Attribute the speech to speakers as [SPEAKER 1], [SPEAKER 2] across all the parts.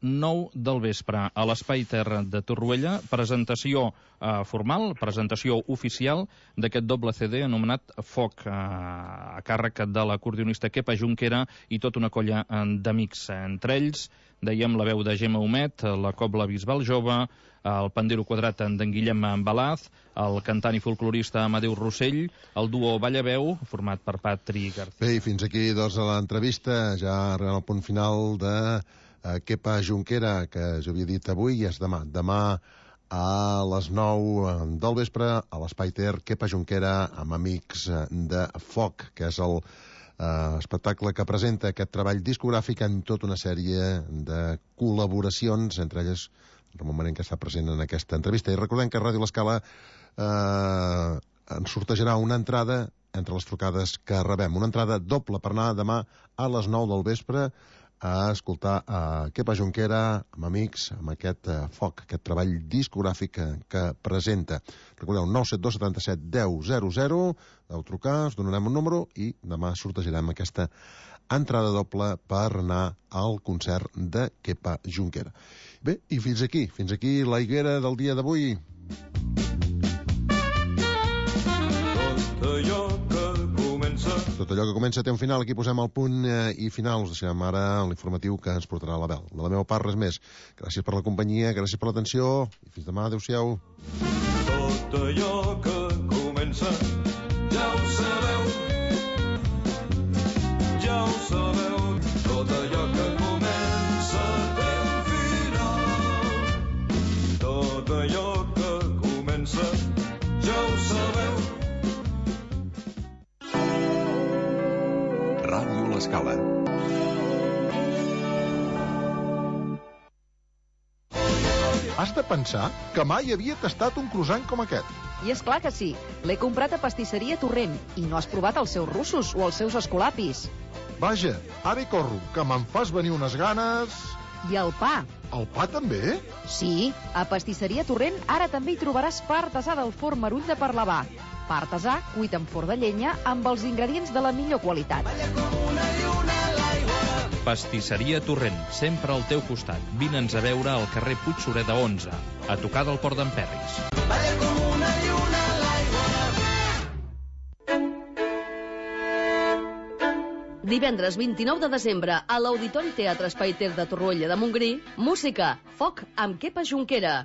[SPEAKER 1] 9 del vespre a l'Espai Terra de Torroella, presentació formal, presentació oficial d'aquest doble CD anomenat Foc, a càrrec de l'acordeonista Kepa Junquera i tota una colla d'amics. Entre ells, dèiem, la veu de Gemma Humet, la cobla Bisbal Jove, el pandero quadrat d'en Guillem Balaz, el cantant i folclorista Amadeu Rossell, el duo Ballaveu, format per Patri García.
[SPEAKER 2] Bé, i fins aquí, doncs, l'entrevista, ja arribant al punt final de Kepa Junquera, que jo havia dit avui, i és demà. Demà a les 9 del vespre a l'Espai Ter, Kepa Junquera amb amics de Foc, que és el espectacle que presenta aquest treball discogràfic en tota una sèrie de col·laboracions, entre elles Ramon Manent, que està present en aquesta entrevista. I recordem que a Ràdio L'Escala ens sortejarà una entrada entre les trucades que rebem, una entrada doble per anar demà a les 9 del vespre a escoltar Kepa Junquera amb amics, amb aquest Foc, aquest treball discogràfic que presenta. Recordeu, 972 77 10 00, deu trucar, us donarem un número i demà sortejarem aquesta entrada doble per anar al concert de Kepa Junquera. Bé, i fins aquí la higuera del dia d'avui. Tot allò que comença té un final. Aquí posem el punt i final. Us deixem ara l'informatiu que ens portarà l'Abel. De la meva part, res més. Gràcies per la companyia, gràcies per l'atenció i fins demà. Adéu-siau.
[SPEAKER 3] Tot allò que comença ja ho sabeu. Ja ho sabeu. Tot allò que comença té un final. Tot allò que comença ja ho sabeu.
[SPEAKER 4] Ràdio L'Escala.
[SPEAKER 5] Has de pensar que mai havia tastat un croissant com aquest.
[SPEAKER 6] I és clar que sí. L'he comprat a Pastisseria Torrent i no has provat els seus russos o els seus escolapis.
[SPEAKER 5] Vaja, ara hi corro, que me'n fas venir unes ganes...
[SPEAKER 6] I el pa.
[SPEAKER 5] El pa també?
[SPEAKER 6] Sí, a Pastisseria Torrent ara també hi trobaràs pa artesà del forn Marull de Parlavà. Pa artesà cuit en forn de llenya amb els ingredients de la millor qualitat.
[SPEAKER 1] Pastisseria Torrent, sempre al teu costat. Vine'ns a veure al carrer Puig Sureda 11, a tocar del Port d'en Perris.
[SPEAKER 7] Divendres 29 de desembre a l'Auditori Teatre Espai Ter de Torroella de Montgrí, música, Foc amb Kepa Junquera.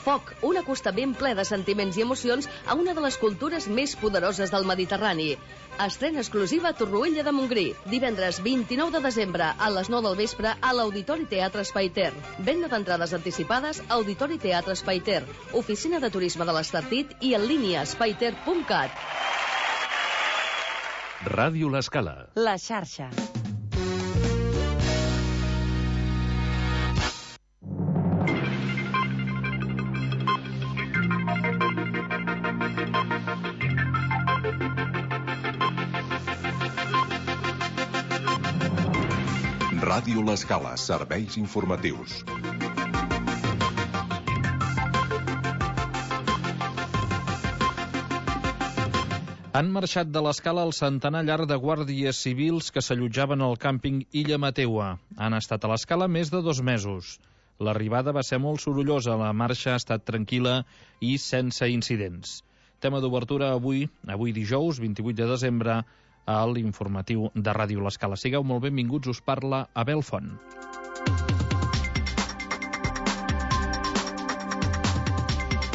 [SPEAKER 7] Foc, un acostament ple de sentiments i emocions a una de les cultures més poderoses del Mediterrani. Estrena exclusiva a Torroella de Montgrí, divendres 29 de desembre a les 9 del vespre a l'Auditori Teatre Espai Ter. Venda d'entrades anticipades a Auditori Teatre Espai Ter, oficina de turisme de l'Estartit i en línia espaiter.cat.
[SPEAKER 4] Ràdio L'Escala.
[SPEAKER 6] La xarxa.
[SPEAKER 4] Ràdio L'Escala, serveis informatius.
[SPEAKER 1] Han marxat de l'Escala el centenar llarg de guàrdies civils que s'allotjaven al càmping Illa Mateua. Han estat a l'Escala més de 2 mesos. L'arribada va ser molt sorollosa, la marxa ha estat tranquil·la i sense incidents. Tema d'obertura avui dijous, 28 de desembre, a l'informatiu de Ràdio L'Escala. Sigueu molt benvinguts, us parla Abel Font.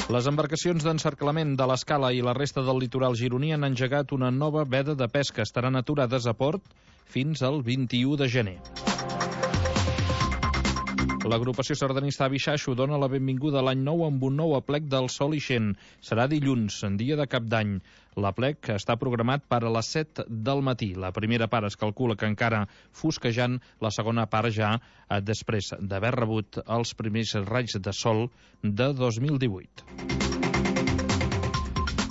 [SPEAKER 1] Les embarcacions d'encerclament de l'Escala i la resta del litoral gironí han engegat una nova veda de pesca. Estaran aturades a port fins al 21 de gener. L'agrupació sardanista Avixaixo dona la benvinguda a l'any nou amb un nou aplec del Sol Ixent. Serà dilluns, en dia de Cap d'Any. L'aplec està programat per a les 7 del matí. La primera part es calcula que encara fosquejant, la segona part ja després d'haver rebut els primers raigs de sol de 2018.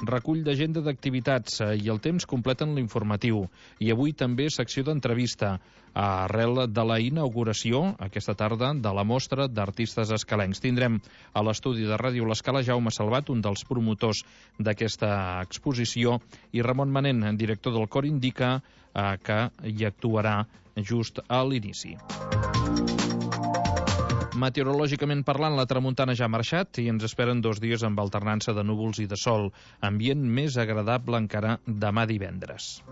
[SPEAKER 1] Recull d'agenda d'activitats i el temps completen l'informatiu. I avui també secció d'entrevista arrel de la inauguració aquesta tarda de la mostra d'artistes escalencs. Tindrem a l'estudi de Ràdio L'Escala Jaume Salvat, un dels promotors d'aquesta exposició, i Ramon Manent, director del Cor Indica, que hi actuarà just a l'inici. Meteorològicament parlant, la tramuntana ja ha marxat i ens esperen 2 dies amb alternança de núvols i de sol. Ambient més agradable encara demà divendres.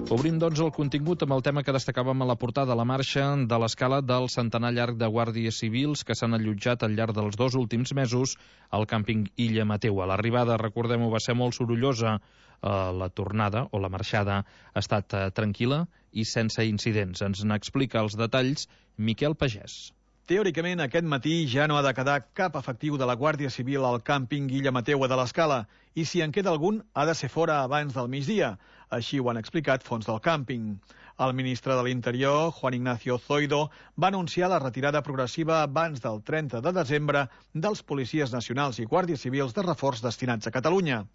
[SPEAKER 1] Obrim, doncs, el contingut amb el tema que destacàvem a la portada, la marxa de l'escala del centenar llarg de guàrdies civils que s'han allotjat al llarg dels 2 últims mesos al càmping Illa Mateua. L'arribada, recordem-ho, va ser molt sorollosa. La tornada o la marxada ha estat tranquil·la i sense incidents. Ens n'explica els detalls Miquel Pagès.
[SPEAKER 8] Teòricament, aquest matí ja no ha de quedar cap efectiu de la Guàrdia Civil al càmping Illa Mateua de l'Escala, i si en queda algun, ha de ser fora abans del migdia. Així ho han explicat fonts del càmping. El ministre de l'Interior, Juan Ignacio Zoido, va anunciar la retirada progressiva abans del 30 de desembre dels policies nacionals i guàrdies civils de reforç destinats a Catalunya.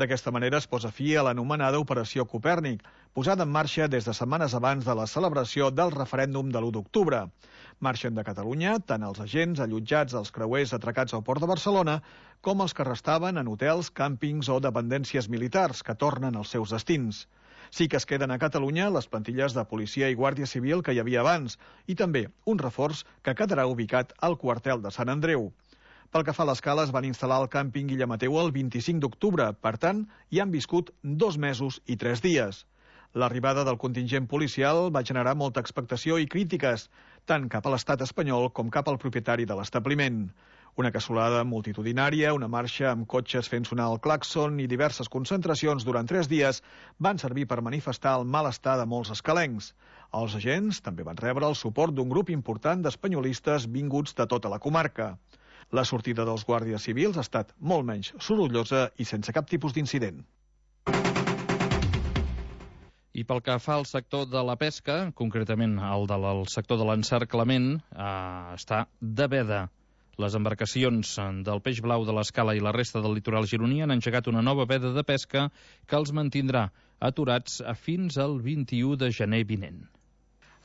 [SPEAKER 8] D'aquesta manera es posa fi a l'anomenada Operació Copèrnic, posada en marxa des de setmanes abans de la celebració del referèndum de l'1 d'octubre. Marxen de Catalunya tant els agents allotjats als creuers atracats al Port de Barcelona com els que restaven en hotels, càmpings o dependències militars que tornen als seus destins. Sí que es queden a Catalunya les plantilles de policia i guàrdia civil que hi havia abans i també un reforç que quedarà ubicat al quartel de Sant Andreu. Pel que fa a l'escala, es van instal·lar al càmping Illa Mateua el 25 d'octubre, per tant, hi han viscut 2 mesos i 3 dies. L'arribada del contingent policial va generar molta expectació i crítiques, tant cap a l'estat espanyol com cap al propietari de l'establiment. Una cassolada multitudinària, una marxa amb cotxes fent sonar el clàxon i diverses concentracions durant 3 dies van servir per manifestar el malestar de molts escalencs. Els agents també van rebre el suport d'un grup important d'espanyolistes vinguts de tota la comarca. La sortida dels guàrdies civils ha estat molt menys sorollosa i sense cap tipus d'incident.
[SPEAKER 1] I pel que fa al sector de la pesca, concretament el del sector de l'encerclament, està de veda. Les embarcacions del peix blau de l'Escala i la resta del litoral gironí han engegat una nova veda de pesca que els mantindrà aturats fins al 21 de gener vinent.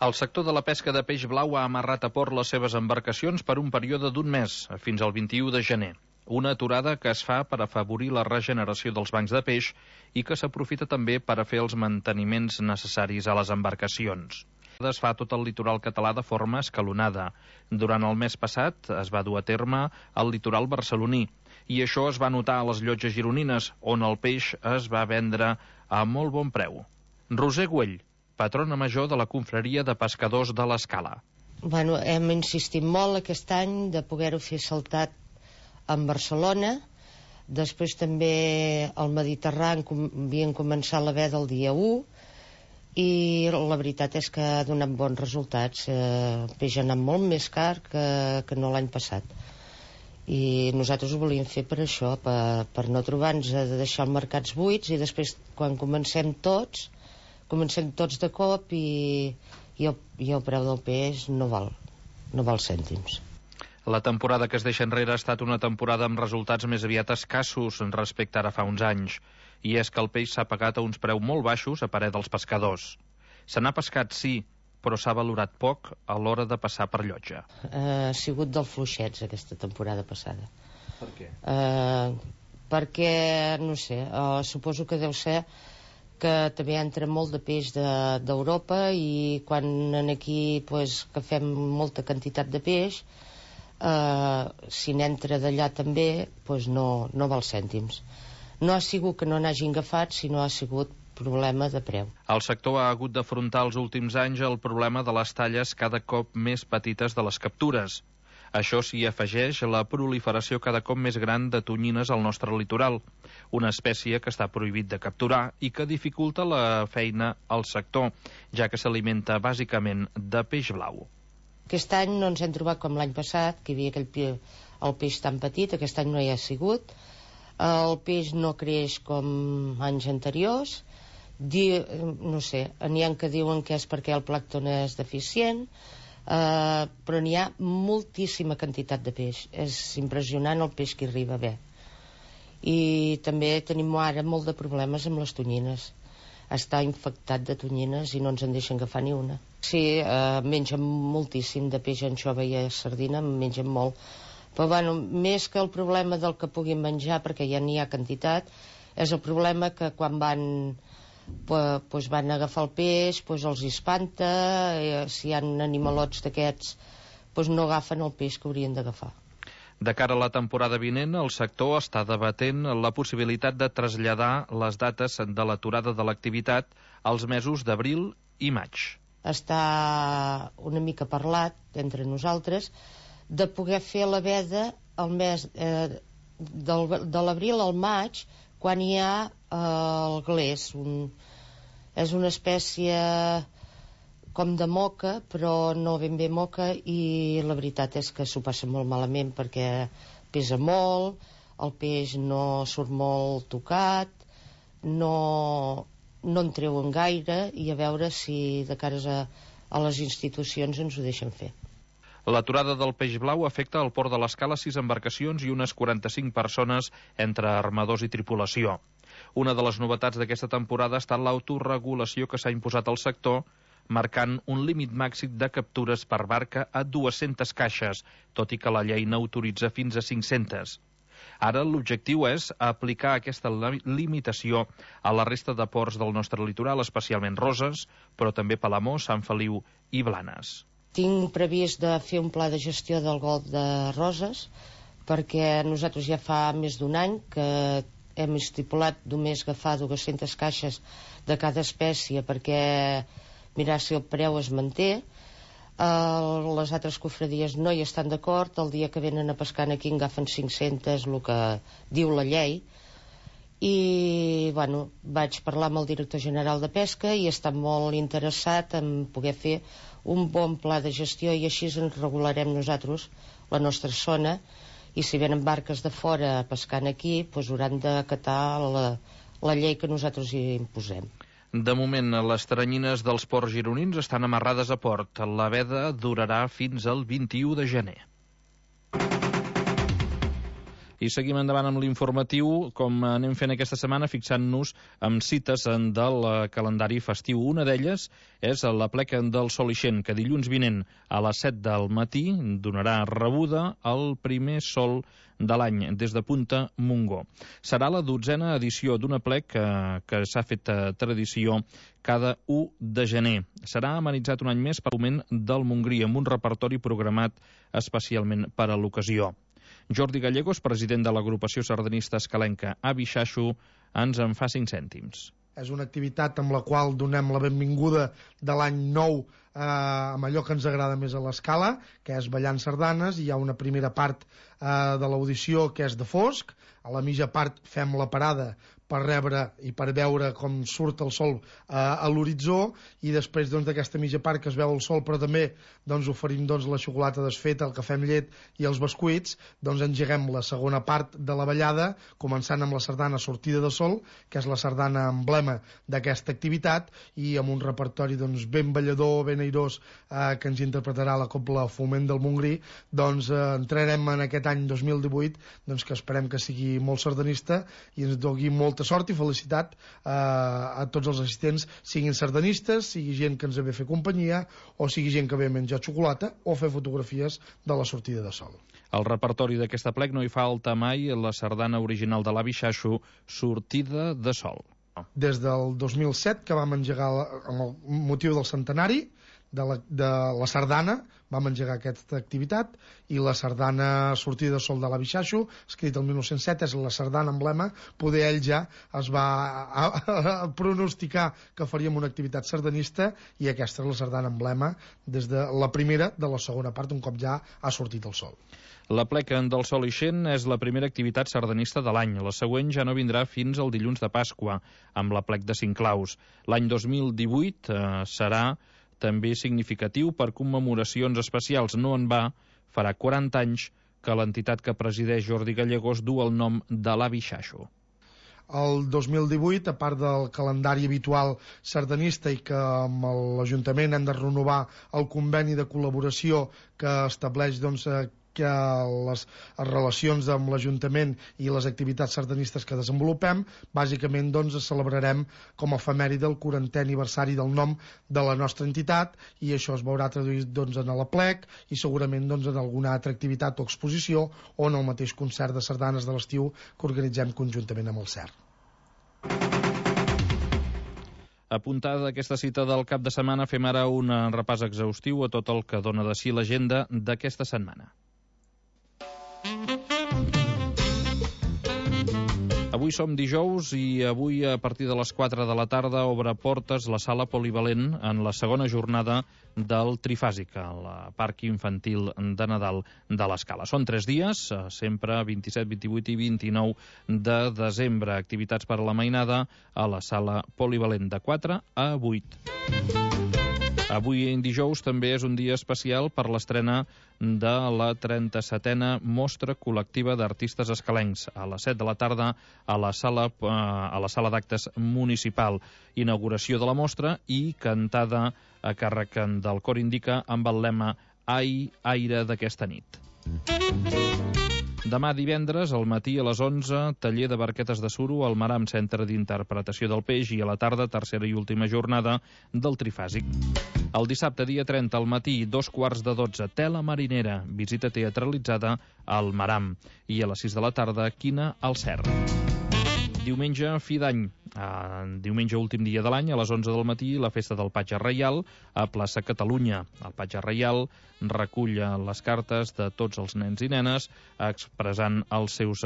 [SPEAKER 1] El sector de la pesca de peix blau ha amarrat a port les seves embarcacions per un període d'1 mes, fins al 21 de gener. Una aturada que es fa per afavorir la regeneració dels bancs de peix i que s'aprofita també per a fer els manteniments necessaris a les embarcacions. Es fa tot el litoral català de forma escalonada. Durant el mes passat es va dur a terme al litoral barceloní i això es va notar a les llotges gironines, on el peix es va vendre a molt bon preu. Roser Güell, patrona major de la confraria de pescadors de l'Escala.
[SPEAKER 9] Hem insistit molt aquest any de poder-ho fer saltat en Barcelona. Després també al Mediterrani havien començat la veda el dia 1 i la veritat és que ha donat bons resultats. El peix ha anat molt més car que no l'any passat. I nosaltres ho volíem fer per això, per no trobar-nos de deixar els mercats buits i després quan comencem tots de cop i el preu del peix no val cèntims.
[SPEAKER 1] La temporada que es deixa enrere ha estat una temporada amb resultats més aviat escassos respecte ara fa uns anys, i és que el peix s'ha pagat a uns preus molt baixos a parer dels pescadors. Se n'ha pescat, sí, però s'ha valorat poc a l'hora de passar per llotja.
[SPEAKER 9] Ha sigut dels fluixets aquesta temporada passada.
[SPEAKER 1] Per què?
[SPEAKER 9] Perquè, no sé, suposo que deu ser que també entra molt de peix d'Europa i quan aquí que fem molta quantitat de peix, si n'entra d'allà també no val cèntims. No ha sigut que no n'hagin agafat, sinó ha sigut problema de preu.
[SPEAKER 1] El sector ha hagut d'afrontar els últims anys el problema de les talles cada cop més petites de les captures. Això s'hi afegeix la proliferació cada cop més gran de tonyines al nostre litoral, una espècie que està prohibit de capturar i que dificulta la feina al sector, ja que s'alimenta bàsicament de peix blau.
[SPEAKER 9] Aquest any no ens hem trobat com l'any passat, que hi havia el peix tan petit. Aquest any no hi ha sigut. El peix no creix com anys anteriors. No sé, n'hi ha que diuen que és perquè el plàncton és deficient, però n'hi ha moltíssima quantitat de peix. És impressionant el peix que arriba bé. I també tenim ara molt de problemes amb les tonyines. Està infectat de tonyines i no ens en deixen agafar ni una. Sí, mengen moltíssim de peix, anxova i sardina, mengen molt. Però més que el problema del que puguin menjar, perquè ja n'hi ha quantitat, és el problema que quan van pues van agafar el peix, pues els espanta, si hi ha animalots d'aquests pues no agafen el peix que haurien d'agafar.
[SPEAKER 1] De cara a la temporada vinent, el sector està debatent la possibilitat de traslladar les dates de l'aturada de l'activitat als mesos d'abril i maig.
[SPEAKER 9] Està una mica parlat entre nosaltres de poder fer la veda el mes de l'abril al maig, quan hi ha el glés. És una espècie com de moca, però no ben bé moca, i la veritat és que s'ho passa molt malament perquè pesa molt, el peix no surt molt tocat, no en treuen gaire, i a veure si de cares a les institucions ens ho deixen fer.
[SPEAKER 1] L'aturada del peix blau afecta al port de l'Escala 6 embarcacions i unes 45 persones entre armadors i tripulació. Una de les novetats d'aquesta temporada ha estat l'autoregulació que s'ha imposat al sector, marcant un límit màxim de captures per barca a 200 caixes, tot i que la llei n'autoritza fins a 500. Ara l'objectiu és aplicar aquesta limitació a la resta de ports del nostre litoral, especialment Roses, però també Palamós, Sant Feliu i Blanes.
[SPEAKER 9] Tinc previst de fer un pla de gestió del golf de Roses, perquè nosaltres ja fa més d'un any que hem estipulat només agafar 200 caixes de cada espècie perquè mirar si el preu es manté. Les altres cofradies no hi estan d'acord. El dia que venen a pescar aquí en agafen 500, el que diu la llei. I bueno, vaig parlar amb el director general de pesca i està molt interessat en poder fer un bon pla de gestió, i així ens regularem nosaltres la nostra zona, i si venen barques de fora pescant aquí, doncs hauran d'acatar la llei que nosaltres hi imposem.
[SPEAKER 1] De moment, les teranyines dels ports gironins estan amarrades a port. La veda durarà fins al 21 de gener. I seguim endavant amb l'informatiu, com anem fent aquesta setmana, fixant-nos amb cites del calendari festiu. Una d'elles és la pleca del Sol Ixent, que dilluns vinent a les 7 del matí donarà rebuda al primer sol de l'any des de Punta Montgó. Serà la 12a edició d'una plec que s'ha fet tradició cada 1 de gener. Serà amenitzat un any més per l'Augment del Montgrí, amb un repertori programat especialment per a l'ocasió. Jordi Gallegos, president de l'agrupació sardanista escalenca Avi Xaxo, ens en fa 5 cèntims.
[SPEAKER 10] És una activitat amb la qual donem la benvinguda de l'any nou amb allò que ens agrada més a l'Escala, que és ballant sardanes. Hi ha una primera part de l'audició que és de fosc, a la mitja part fem la parada per rebre i per veure com surt el sol a l'horitzó, i després d'aquesta mitja part que es veu el sol, però també oferim la xocolata desfeta, el cafè amb llet i els bescuits. Engeguem la segona part de la ballada, començant amb la sardana Sortida de Sol, que és la sardana emblema d'aquesta activitat, i amb un repertori ben ballador, ben airós, que ens interpretarà la Cobla Foment del Montgrí. Entrarem en aquest any 2018, que esperem que sigui molt sardanista i ens doni molta sort i felicitat a tots els assistents, siguin sardanistes, sigui gent que ens ve a fer companyia, o sigui gent que ve a menjar xocolata o fer fotografies de la sortida de sol.
[SPEAKER 1] Al repertori d'aquesta plec no hi falta mai la sardana original de l'Avi Xaxo, Sortida de Sol.
[SPEAKER 10] Des del 2007, que vam engegar amb el motiu del centenari de la sardana, vam engegar aquesta activitat, i la sardana Sortida de Sol de l'Avi Xaxo, escrit el 1907, és la sardana emblema. Poder ell ja es va pronosticar que faríem una activitat sardanista, i aquesta és la sardana emblema des de la primera de la segona part, un cop ja ha sortit el sol.
[SPEAKER 1] La pleca del Sol Ixent és la primera activitat sardanista de l'any. La següent ja no vindrà fins al dilluns de Pasqua, amb la plec de Cinclaus. L'any 2018 serà també significatiu per commemoracions especials. No en va, farà 40 anys que l'entitat que presideix Jordi Gallegos du el nom de l'Avi Xaxo.
[SPEAKER 10] El 2018, a part del calendari habitual sardanista, i que amb l'Ajuntament hem de renovar el conveni de col·laboració que estableix que les relacions amb l'Ajuntament i les activitats sardanistes que desenvolupem, bàsicament celebrarem com a efemèride el 40è aniversari del nom de la nostra entitat, i això es veurà traduït en la plec i segurament en alguna altra activitat o exposició, o en el mateix concert de sardanes de l'estiu que organitzem conjuntament amb el CER.
[SPEAKER 1] Apuntada aquesta cita del cap de setmana, fem ara un repàs exhaustiu a tot el que dona de si l'agenda d'aquesta setmana. Avui som dijous i avui a partir de les 4 de la tarda obre portes la sala polivalent en la segona jornada del Trifàsic, al Parc Infantil de Nadal de l'Escala. Són 3 dies, sempre 27, 28 i 29 de desembre. Activitats per a la mainada a la sala polivalent de 4 a 8. Avui, dijous, també és un dia especial per l'estrena de la 37a Mostra Col·lectiva d'Artistes Escalencs, a les 7 de la tarda a la sala d'actes municipal. Inauguració de la mostra i cantada a càrrec del Cor Indica amb el lema Ai, aire d'aquesta nit. Demà divendres, al matí a les 11, taller de barquetes de suro al Maram, Centre d'Interpretació del Peix, i a la tarda, tercera i última jornada del Trifàsic. El dissabte, dia 30, al matí, 2:15, tela marinera, visita teatralitzada al Maram. I a les 6 de la tarda, quina al Cert. Diumenge, fi d'any. Diumenge, últim dia de l'any, a les 11 del matí, la festa del Patge Reial a plaça Catalunya. El Patge Reial recull les cartes de tots els nens i nenes expressant els seus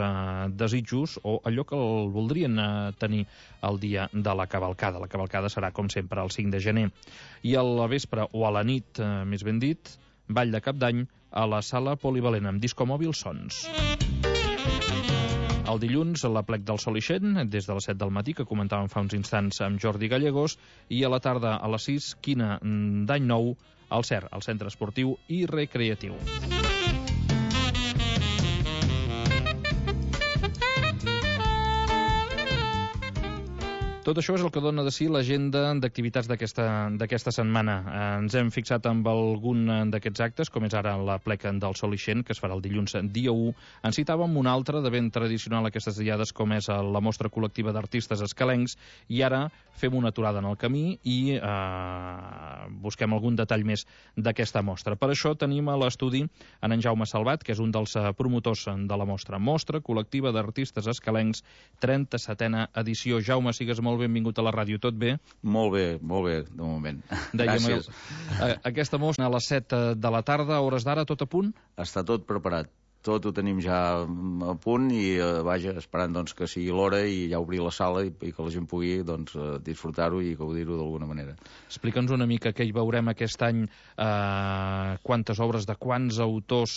[SPEAKER 1] desitjos o allò que el voldrien tenir el dia de la cavalcada. La cavalcada serà, com sempre, el 5 de gener. I a la vespre, o a la nit, més ben dit, ball de cap d'any a la sala polivalent amb discomòbil Sons. El dilluns, a l'Aplec del Sol Ixent, des de les 7 del matí, que comentàvem fa uns instants amb Jordi Gallegos, i a la tarda, a les 6, quina d'any nou, al CER, el Centre Esportiu i Recreatiu. Tot això és el que dona de si l'agenda d'activitats d'aquesta setmana. Ens hem fixat amb algun d'aquests actes, com és ara l'Aplec del Sol Ixent, que es farà el dilluns dia 1. En citàvem un altre de ben tradicional aquestes diades, com és la Mostra Col·lectiva d'Artistes Escalencs, i ara fem una aturada en el camí i busquem algun detall més d'aquesta mostra. Per això tenim a l'estudi en Jaume Salvat, que és un dels promotors de la mostra. Mostra Col·lectiva d'Artistes Escalencs, 37a edició. Jaume, sigues molt benvingut a la ràdio. Tot bé?
[SPEAKER 11] Molt bé, de moment.
[SPEAKER 1] Gràcies. Aquesta mostra a les 7 de la tarda, a hores d'ara, tot a punt?
[SPEAKER 11] Està tot preparat. Tot ho tenim ja a punt i, vaja, esperant doncs, que sigui l'hora i ja obrir la sala i que la gent pugui doncs, disfrutar-ho i gaudir-ho d'alguna manera.
[SPEAKER 1] Explica'ns una mica què hi veurem aquest any, quantes obres de quants autors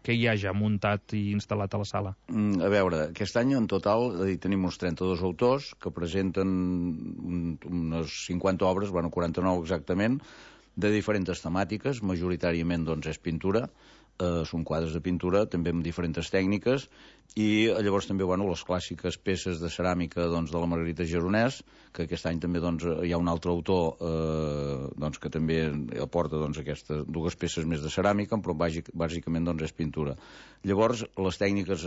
[SPEAKER 1] que hi ha ja muntat i instal·lat a la sala.
[SPEAKER 11] A veure, aquest any en total tenim uns 32 autors que presenten unes 50 obres, 49 exactament, de diferents temàtiques, majoritàriament doncs, és pintura, són quadres de pintura, també amb diferents tècniques, i llavors també les clàssiques peces de ceràmica doncs, de la Margarita Geronès, que aquest any també doncs, hi ha un altre autor doncs, que també aporta doncs, aquestes dues peces més de ceràmica, però bàsicament doncs, és pintura. Llavors, les tècniques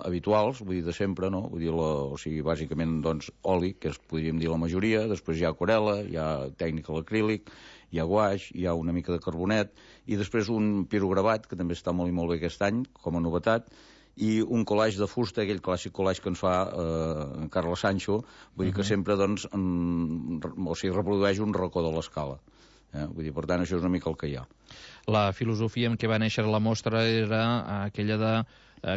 [SPEAKER 11] habituals, vull dir, de sempre, no? Vull dir, o sigui, bàsicament doncs, oli, que podríem dir la majoria, després hi ha aquarel·la, hi ha tècnica a l'acrílic, hi ha guaix, hi ha una mica de carbonet, i després un pirogravat, que també està molt i molt bé aquest any, com a novetat, i un collage de fusta, aquell clàssic collage que ens fa Carles Sancho, vull dir que sempre doncs, reprodueix un racó de l'escala. Vull dir, per tant, això és una mica el que hi ha.
[SPEAKER 1] La filosofia en què va néixer la mostra era aquella de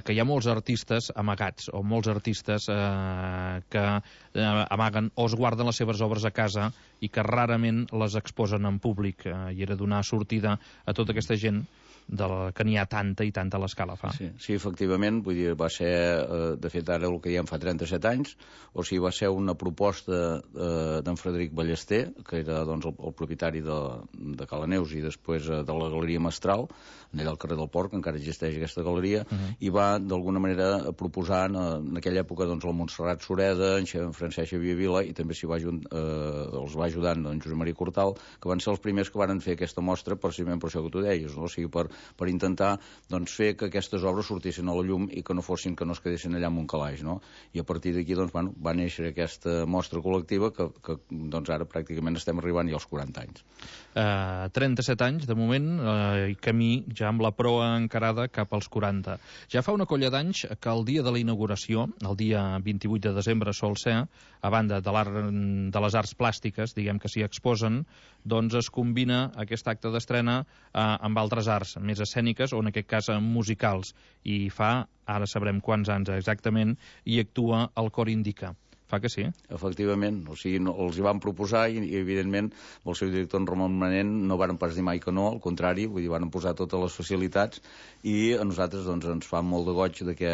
[SPEAKER 1] que hi ha molts artistes amagats o molts artistes que amaguen o es guarden les seves obres a casa i que rarament les exposen en públic, i era donar sortida a tota aquesta gent que n'hi ha tanta i tanta a l'Escala fa.
[SPEAKER 11] Sí, efectivament, vull dir, va ser, de fet ara el que diem fa 37 anys, o sigui, va ser una proposta d'en Frederic Ballester, que era doncs, el propietari de Cala Neus i després de la Galeria Mestral, allà al carrer del Port, que encara existeix aquesta galeria, i va d'alguna manera proposar en aquella època doncs, el Montserrat Sureda, en Francesc Xavier Vila, i també els va ajudar en Josep Maria Cortal, que van ser els primers que van fer aquesta mostra precisament per això que tu deies, no? O sigui, per per intentar doncs, fer que aquestes obres sortissin a la llum i que no es quedessin allà en un calaix, no? I a partir d'aquí doncs, va néixer aquesta mostra col·lectiva que doncs, ara pràcticament estem arribant ja als 40 anys.
[SPEAKER 1] 37 anys, de moment, i camí ja amb la proa encarada cap als 40. Ja fa una colla d'anys que el dia de la inauguració, el dia 28 de desembre sol ser, a banda de les arts plàstiques, diguem que s'hi exposen, doncs es combina aquest acte d'estrena amb altres arts més escèniques o en aquest cas musicals. I fa, ara sabrem quants anys exactament, i actua el Cor Indica. Fa que sí?
[SPEAKER 11] Efectivament, o sigui, els hi van proposar i evidentment el seu director, en Ramon Manent, no varen pas dir mai que no, al contrari, vull dir, van posar totes les facilitats i a nosaltres doncs, ens fa molt de goig de que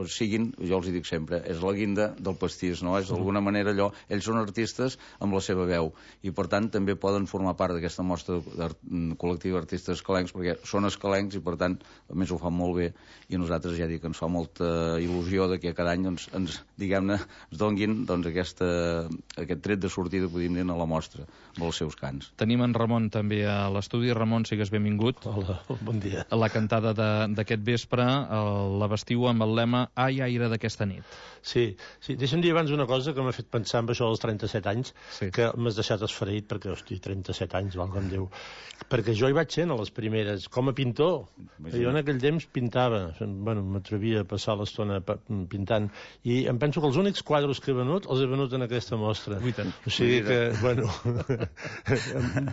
[SPEAKER 11] siguin, jo els hi dic sempre, és la guinda del pastís, no? És d'alguna manera allò, ells són artistes amb la seva veu i per tant també poden formar part d'aquesta mostra col·lectiva d'artistes escalencs perquè són escalencs i per tant a més ho fan molt bé i a nosaltres ja dic, ens fa molta il·lusió de que cada any doncs, ens, diguem-ne, donguin doncs, aquest tret de sortida, podríem dir, a la mostra, amb els seus cants.
[SPEAKER 1] Tenim en Ramon també a l'estudi. Ramon, sigues benvingut.
[SPEAKER 12] Hola, bon dia.
[SPEAKER 1] La cantada d'aquest vespre la vestiu amb el lema Ai, aire d'aquesta nit.
[SPEAKER 12] Sí. Deixa'm dir abans una cosa que m'ha fet pensar en això dels 37 anys, que m'has deixat esfereït perquè, hosti, 37 anys, valga'm Déu. Perquè jo hi vaig ser a les primeres, com a pintor. Jo en aquell temps pintava, m'atrevia a passar l'estona pintant, i em penso que els únics quadres que he venut, els he venut en aquesta mostra. O sigui que,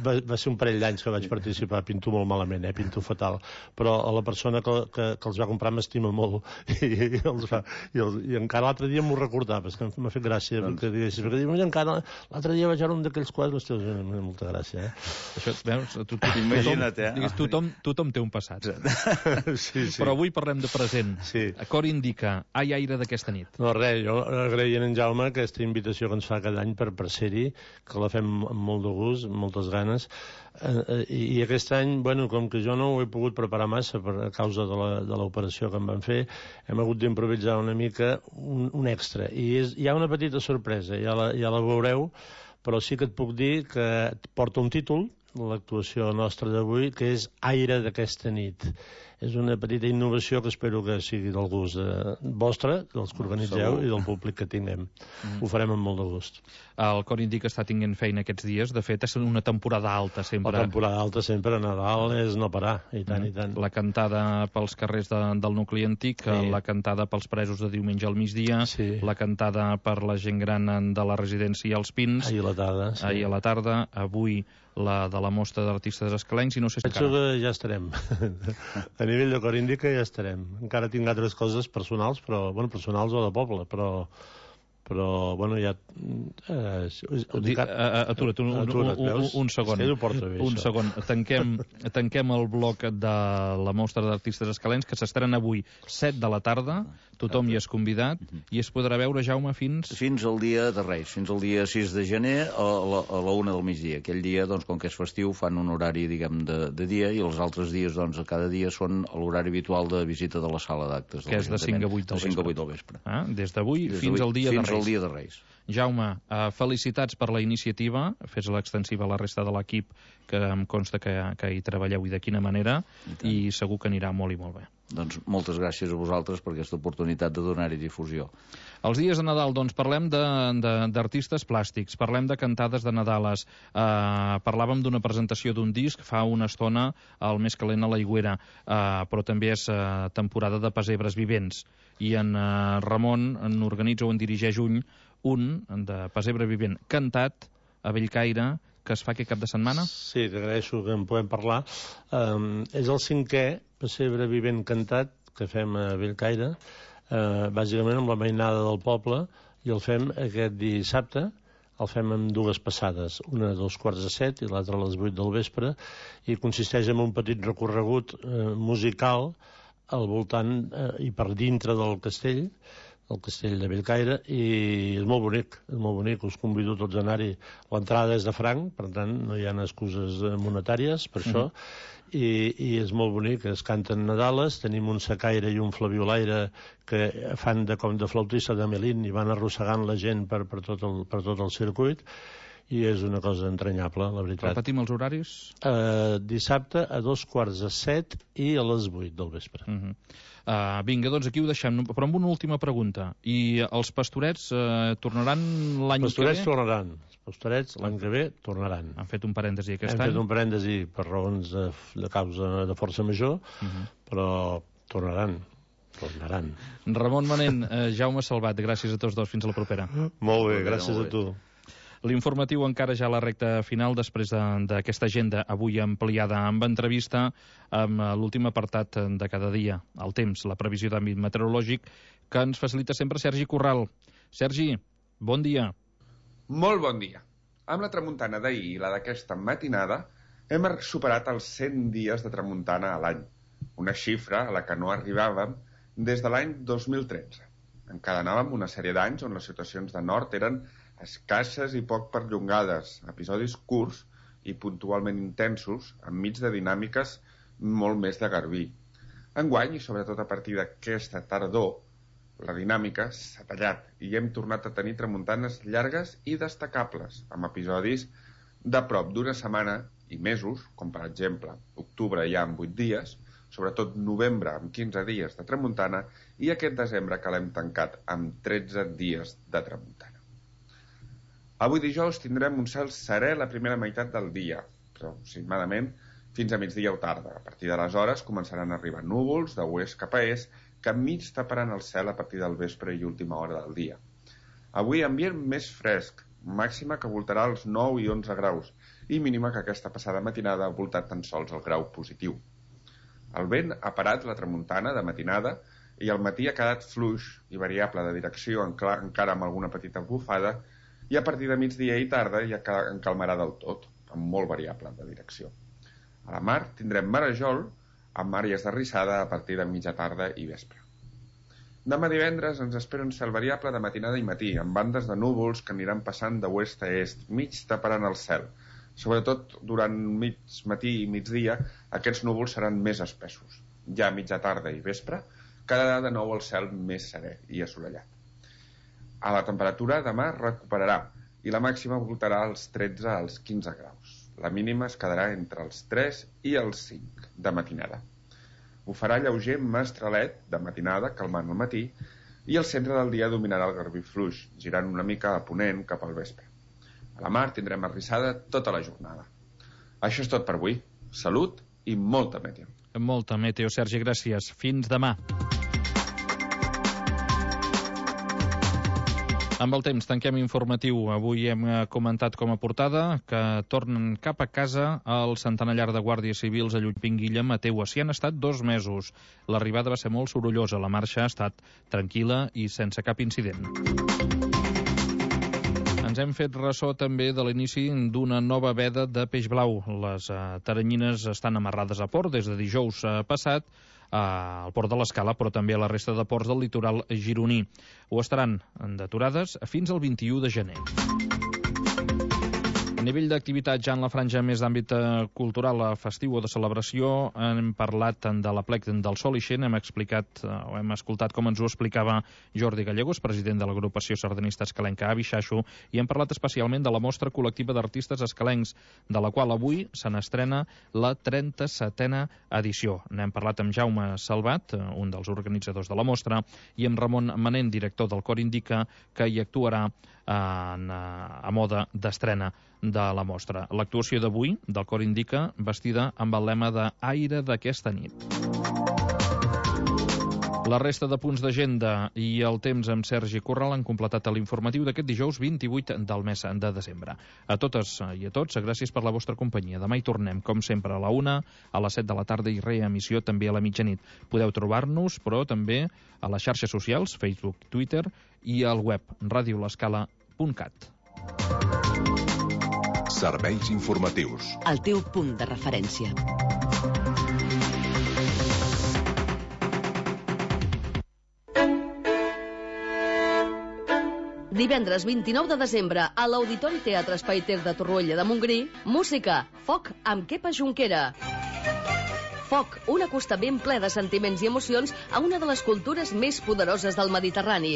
[SPEAKER 12] va ser un parell d'anys que vaig participar, pinto molt malament, pinto fatal, però a la persona que els va comprar m'estima molt, i encara l'altre dia m'ho recordava, és que m'ha fet gràcia, perquè encara l'altre dia vaig veure un d'aquells quadres, m'ha molta gràcia,
[SPEAKER 1] Això, veus,
[SPEAKER 11] imagina't,
[SPEAKER 1] tothom té un passat.
[SPEAKER 12] Sí.
[SPEAKER 1] Però avui parlem de present. Cor Indica, Ai, aire d'aquesta nit.
[SPEAKER 12] No, res, jo agraïen en Jaume aquesta invitació que ens fa cada any per ser-hi, que la fem amb molt de gust, amb moltes ganes, i aquest any, com que jo no ho he pogut preparar massa a causa de l'operació que em van fer, hem hagut d'improvisar una mica un extra, i hi ha una petita sorpresa, ja la veureu, però sí que et puc dir que porta un títol, l'actuació nostra d'avui, que és Aire d'aquesta nit. És una petita innovació que espero que sigui del gust vostre, dels que organitzeu i del públic que tinguem. Ho farem amb molt de gust.
[SPEAKER 1] El Cor Indica està tinguent feina aquests dies. De fet, és una temporada alta sempre.
[SPEAKER 12] La temporada alta sempre, a Nadal, és no parar, i tant, i tant.
[SPEAKER 1] La cantada pels carrers del nucli antic, la cantada pels presos de diumenge al migdia, la cantada per la gent gran de la residència als Pins.
[SPEAKER 12] Ahir a la tarda.
[SPEAKER 1] Avui la de la mostra d'artistes escalencs, i no sé si
[SPEAKER 12] penso que ja estarem. A nivell de Cor Indica ja estarem. Encara tinc altres coses personals, personals o de poble, però ja...
[SPEAKER 1] Atura't un segon. Un segon. Tanquem el bloc de la mostra d'artistes escalencs, que s'estrena avui 7 de la tarda. Tothom hi és convidat i es podrà veure, Jaume, fins
[SPEAKER 11] al dia de Reis, fins al dia 6 de gener a la 1 del migdia. Aquell dia, doncs, com que és festiu, fan un horari, diguem, de dia, i els altres dies, doncs, a cada dia són l'horari habitual de visita de la sala d'actes.
[SPEAKER 1] Que és de 5 a 8
[SPEAKER 11] del vespre.
[SPEAKER 1] Des d'avui fins al dia de Reis.
[SPEAKER 11] Fins al dia de Reis.
[SPEAKER 1] Jaume, felicitats per la iniciativa, fes-la extensiva a la resta de l'equip, que em consta que hi treballeu i de quina manera, i segur que anirà molt i molt bé.
[SPEAKER 11] Doncs moltes gràcies a vosaltres per aquesta oportunitat de donar-hi difusió.
[SPEAKER 1] Els dies de Nadal, doncs, parlem d'artistes plàstics, parlem de cantades de Nadales, parlàvem d'una presentació d'un disc fa una estona al Més calent a l'Aigüera, però també és temporada de pessebres vivents, i en Ramon n'organitza o en dirigeix un de pessebre vivent cantat a Bellcaire, que es fa aquest cap de setmana?
[SPEAKER 12] Sí, t'agraeixo que en podem parlar. És el 5è pessebre vivent cantat que fem a Bellcaire, bàsicament amb la mainada del poble, i el fem aquest dissabte, el fem en 2 passades, una a 2:45 i l'altra a les 8 del vespre, i consisteix en un petit recorregut musical al voltant i per dintre del castell de Bellcaire, i és molt bonic, us convido tots a anar-hi. L'entrada és de franc, per tant no hi ha excuses monetàries per això, i és molt bonic, es canten Nadales, tenim un secaire i un flabiolaire que fan com de flautista de Melín i van arrossegant la gent per tot el circuit, i és una cosa entranyable, la veritat.
[SPEAKER 1] Repetim els horaris?
[SPEAKER 12] Dissabte a 2:45 i a les 8 del vespre.
[SPEAKER 1] Vinga, doncs aquí ho deixem, però amb una última pregunta. I els Pastorets tornaran l'any que ve?
[SPEAKER 12] Pastorets tornaran. Els Pastorets l'any que ve tornaran.
[SPEAKER 1] Han fet un parèntesi aquest any?
[SPEAKER 12] Hem fet un parèntesi per raons de causa de força major, però tornaran.
[SPEAKER 1] Ramon Manent, Jaume Salvat, gràcies a tots dos. Fins a la propera.
[SPEAKER 12] Molt bé, gràcies a tu.
[SPEAKER 1] L'informatiu encara ja a la recta final després d'aquesta agenda avui ampliada amb entrevista amb l'últim apartat de cada dia, el temps, la previsió d'àmbit meteorològic, que ens facilita sempre Sergi Corral. Sergi, bon dia.
[SPEAKER 13] Molt bon dia. Amb la tramuntana d'ahir i la d'aquesta matinada hem superat els 100 dies de tramuntana a l'any, una xifra a la que no arribàvem des de l'any 2013. Encadenàvem una sèrie d'anys on les situacions de nord eren escasses i poc perllongades, episodis curts i puntualment intensos, enmig de dinàmiques molt més de garbí. Enguany, i sobretot a partir d'aquesta tardor, la dinàmica s'ha tallat i hem tornat a tenir tramuntanes llargues i destacables, amb episodis de prop d'una setmana i mesos, com per exemple octubre ja amb 8 dies, sobretot novembre amb 15 dies de tramuntana i aquest desembre que l'hem tancat amb 13 dies de tramuntana. Avui dijous tindrem un cel serè la primera meitat del dia, aproximadament fins a migdia o tarda. A partir d'aleshores començaran a arribar núvols de oest cap a est que enmig taparan el cel a partir del vespre i última hora del dia. Avui ambient més fresc, màxima que voltarà els 9 i 11 graus i mínima que aquesta passada matinada ha voltat tan sols el grau positiu. El vent ha parat la tramuntana de matinada i al matí ha quedat fluix i variable de direcció encara amb alguna petita bufada i a partir de migdia i tarda ja encalmarà del tot, amb molt variable de direcció. A la mar tindrem marejol amb àrees de rissada a partir de mitja tarda i vespre. Demà divendres ens espera un cel variable de matinada i matí, amb bandes de núvols que aniran passant de oest a est, mig taparan el cel. Sobretot durant mig matí i migdia, aquests núvols seran més espessos. Ja a mitja tarda i vespre, quedarà de nou el cel més serè i assolellat. A la temperatura demà recuperarà i la màxima voltarà als 13 als 15 graus. La mínima es quedarà entre els 3 i els 5 de matinada. Ho farà lleuger mestralet de matinada, calmant al matí, i el centre del dia dominarà el garbí fluix, girant una mica a ponent cap al vespre. A la mar tindrem arrissada tota la jornada. Això és tot per avui. Salut i molta meteo.
[SPEAKER 1] Molta meteo, Sergi, gràcies. Fins demà. Amb el temps tanquem informatiu. Avui hem comentat com a portada que tornen cap a casa el centenallar de guàrdies civils a Llupinguilla, Mateua. S'hi han estat 2 mesos. L'arribada va ser molt sorollosa. La marxa ha estat tranquil·la i sense cap incident. Ens hem fet ressò també de l'inici d'una nova veda de peix blau. Les taranyines estan amarrades a port des de dijous passat al port de l'Escala, però també a la resta de ports del litoral gironí. Ho estaran deturades fins al 21 de gener. A nivell d'activitat, ja en la franja més d'àmbit cultural, festiu o de celebració, hem parlat de l'Aplec del Sol Ixent, hem escoltat com ens ho explicava Jordi Gallegos, president de l'agrupació sardanista escalenca Avixaixo, i hem parlat especialment de la mostra col·lectiva d'artistes escalencs, de la qual avui se n'estrena la 37a edició. N'hem parlat amb Jaume Salvat, un dels organitzadors de la mostra, i amb Ramon Manent, director del Cor Indica, que hi actuarà a moda d'estrena de la mostra. L'actuació d'avui del Cor Indica vestida amb el lema de Aire d'aquesta nit. La resta de punts d'agenda i el temps amb Sergi Corral han completat l'informatiu d'aquest dijous 28 del mes de desembre. A totes i a tots, gràcies per la vostra companyia. Demà hi tornem, com sempre, a la 1, a les 7 de la tarda i reemissió també a la mitjanit. Podeu trobar-nos, però també a les xarxes socials, Facebook, Twitter i al web radiolescala.cat.
[SPEAKER 4] Serveis informatius.
[SPEAKER 7] El teu punt de referència. Divendres 29 de desembre a l'Auditori Teatre Espai Ter de Torroella de Montgrí, música, foc amb Kepa Junquera. Foc, un acostament ple de sentiments i emocions a una de les cultures més poderoses del Mediterrani.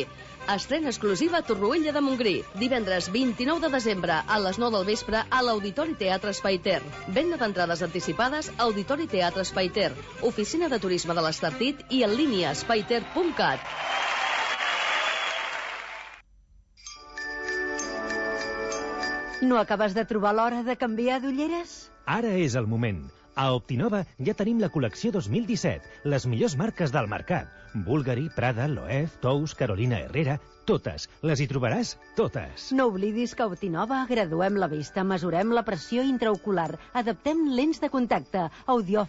[SPEAKER 7] Estrena exclusiva a Torroella de Montgrí, divendres 29 de desembre a les 9 del vespre a l'Auditori Teatre Espai Ter. Venda d'entrades anticipades a Auditori Teatre Espai Ter, Oficina de Turisme de l'Estartit i en línia espaiter.cat.
[SPEAKER 14] No acabes de trobar l'hora de canviar d'ulleres?
[SPEAKER 15] Ara és el moment. A Optinova ja tenim la col·lecció 2017, les millors marques del mercat. Bulgari, Prada, Loewe, Tous, Carolina Herrera, totes. Les hi trobaràs totes.
[SPEAKER 14] No oblidis que a Optinova graduem la vista, mesurem la pressió intraocular, adaptem lents de contacte, audiòfon,